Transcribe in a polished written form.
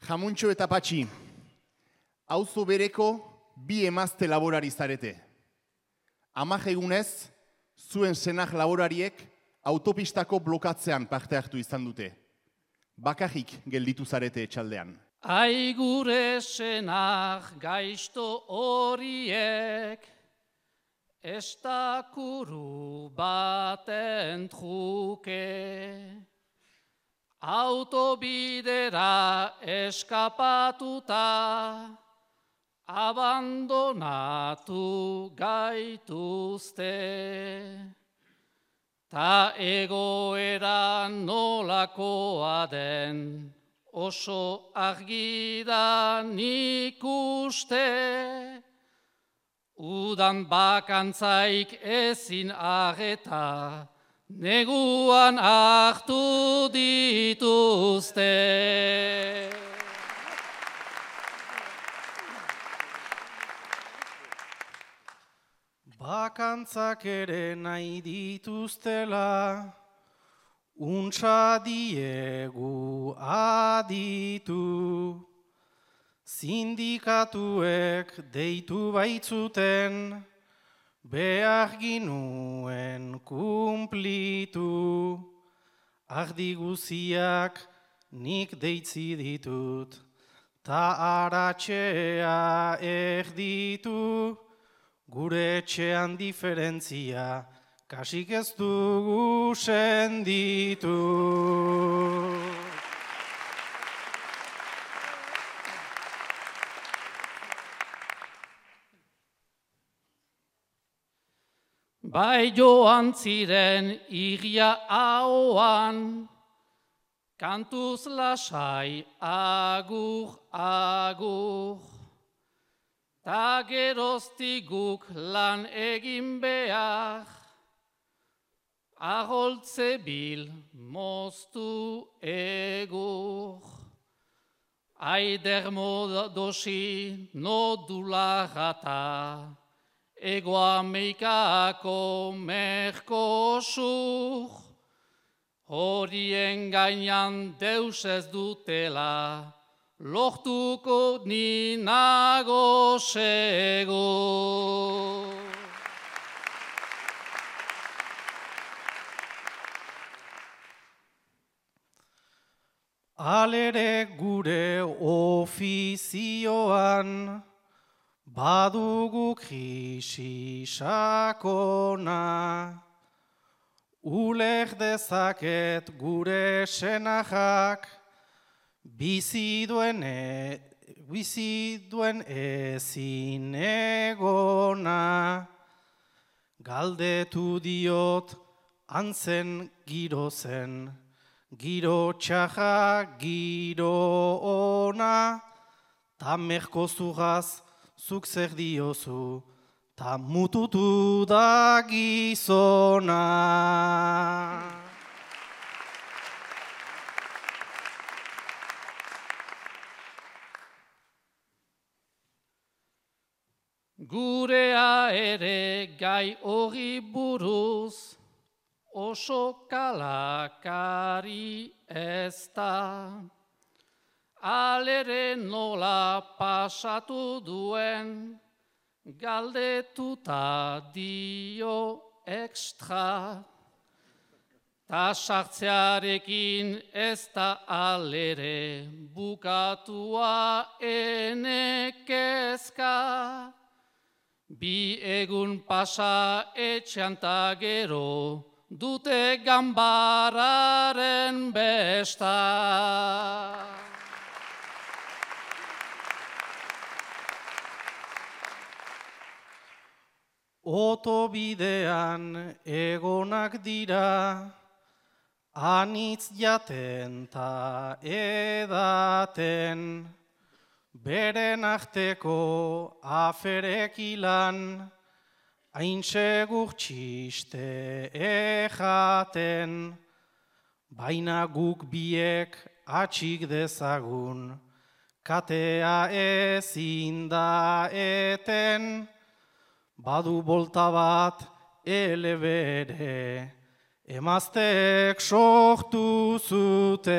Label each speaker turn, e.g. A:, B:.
A: Jamuntxo eta Patxi, auzo bereko bi emazte laborari zarete. 10 egunez, zuen senar laborariek autopistako blokatzean parte hartu izan dute. Bakarrik gelditu zarete etxaldean.
B: Ai gure senar gaizto horiek, estakuru baten truke. Autobidera eskapatuta, abandonatu gaituzte. Ta egoera nolakoa den, oso argi da nik uste. Udan bakantzaik ezin arreta, neguan hartu dituzte.
C: Bakantzak ere nahi dituztela, untsa diegu aditu. Sindikatuek deitu baitzuten, behar ginuen kumplitu. Ardi guziak nik deitzi ditut, ta aratxea erditu. Gure etxean diferentzia, kasik ez dugu senditu.
B: Bai joan ziren iria ahoan, kantuz lasai agur, agur. Ta geroztik guk lan egin behar, aholtze bil moztu egur. Aider modosi nodula gata, Ego Amerikako Merkosur, horien gainan deus ez dutela, lortuko ni nago segur.
C: Alere gure ofizioan, badugu krisi sakona. Uler dezaket gure senajak, bizi duen ezin egona. Galdetu diot antzen giro zen, giro txaja, giro ona. Ta merkozugaz zuk zer diozu, ta mututu da gizona.
B: Gurea ere gai hori buruz, oso kalakari ez da. Alere nola pasatu duen, galdetuta dio ekstra. Ta sartzearekin ez da alere bukatua enekezka. Bi egun pasa etxean ta gero, dute ganbararen besta.
C: Otobidean egonak dira, anitz jaten ta edaten, beren arteko aferekilan, hain segur txiste ejaten, baina guk biek atxik dezagun, katea ezin da eten, badu bolta bat elebere, emazteek sortu zuten.